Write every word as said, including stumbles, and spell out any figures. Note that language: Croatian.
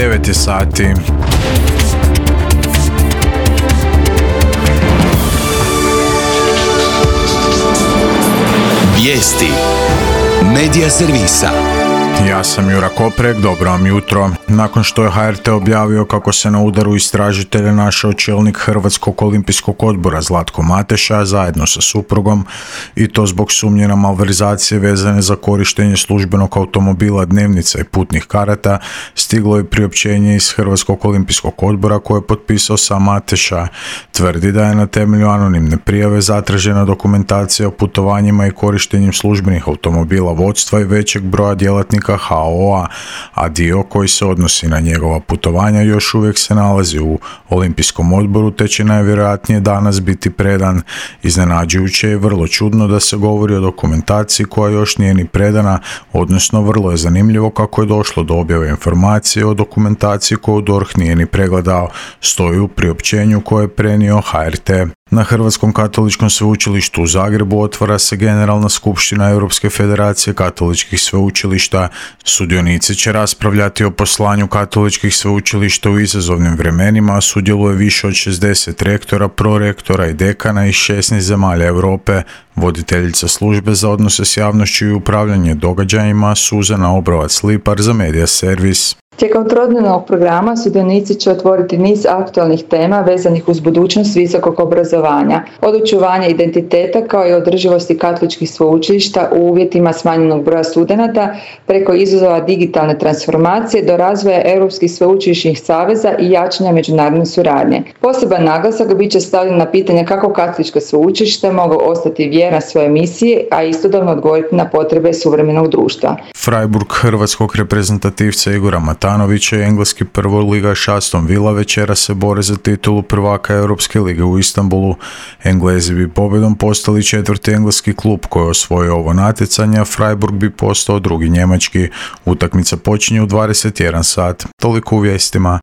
devet je sati. Vijesti Medija servisa. Ja sam Jura Koprek, dobro vam jutro. Nakon što je H R T objavio kako se na udaru istražitelja našao čelnik Hrvatskog olimpijskog odbora Zlatko Mateša zajedno sa suprugom, i to zbog sumnje na malverzacije vezane za korištenje službenog automobila, dnevnica i putnih karata, stiglo je priopćenje iz Hrvatskog olimpijskog odbora koje je potpisao sam Mateša. Tvrdi da je na temelju anonimne prijave zatražena dokumentacija o putovanjima i korištenjem službenih automobila vodstva i većeg broja djelatnika H O A, a dio koji se odnosi na njegova putovanja još uvijek se nalazi u Olimpijskom odboru, te će najvjerojatnije danas biti predan. Iznenađujuće je vrlo čudno da se govori o dokumentaciji koja još nije ni predana, odnosno vrlo je zanimljivo kako je došlo do objave informacije o dokumentaciji koju D O R H nije ni pregledao, stoji u priopćenju koje je prenio H R T. Na Hrvatskom katoličkom sveučilištu u Zagrebu otvara se Generalna skupština Europske federacije katoličkih sveučilišta. Sudionici će raspravljati o poslanju katoličkih sveučilišta u izazovnim vremenima, a sudjeluje više od šezdeset rektora, prorektora i dekana iz šesnaest zemalja Europe. Voditeljica službe za odnose s javnošću i upravljanje događajima Suzana Obrovac-Lipar za Medija servis. Tijekom trodnevnog programa sudionici će otvoriti niz aktualnih tema vezanih uz budućnost visokog obrazovanja, od očuvanja identiteta kao i održivosti katoličkih sveučilišta u uvjetima smanjenog broja studenata, preko izazova digitalne transformacije do razvoja europskih sveučilišnih saveza i jačanja međunarodne suradnje. Poseban naglasak bit će stavljen na pitanje kako katolička sveučilišta mogu ostati vjerna svoje misije, a istodobno odgovoriti na potrebe suvremenog društva. Freiburg hrvatskog reprezentativca Igora Matanovića i engleski prvoligaš Aston Villa večera se bore za titulu prvaka Europske lige u Istanbulu. Englezi bi pobjedom postali četvrti engleski klub koji je osvojio ovo natjecanje, a Freiburg bi postao drugi njemački. Utakmica počinje u dvadeset jedan sat. Toliko u vijestima.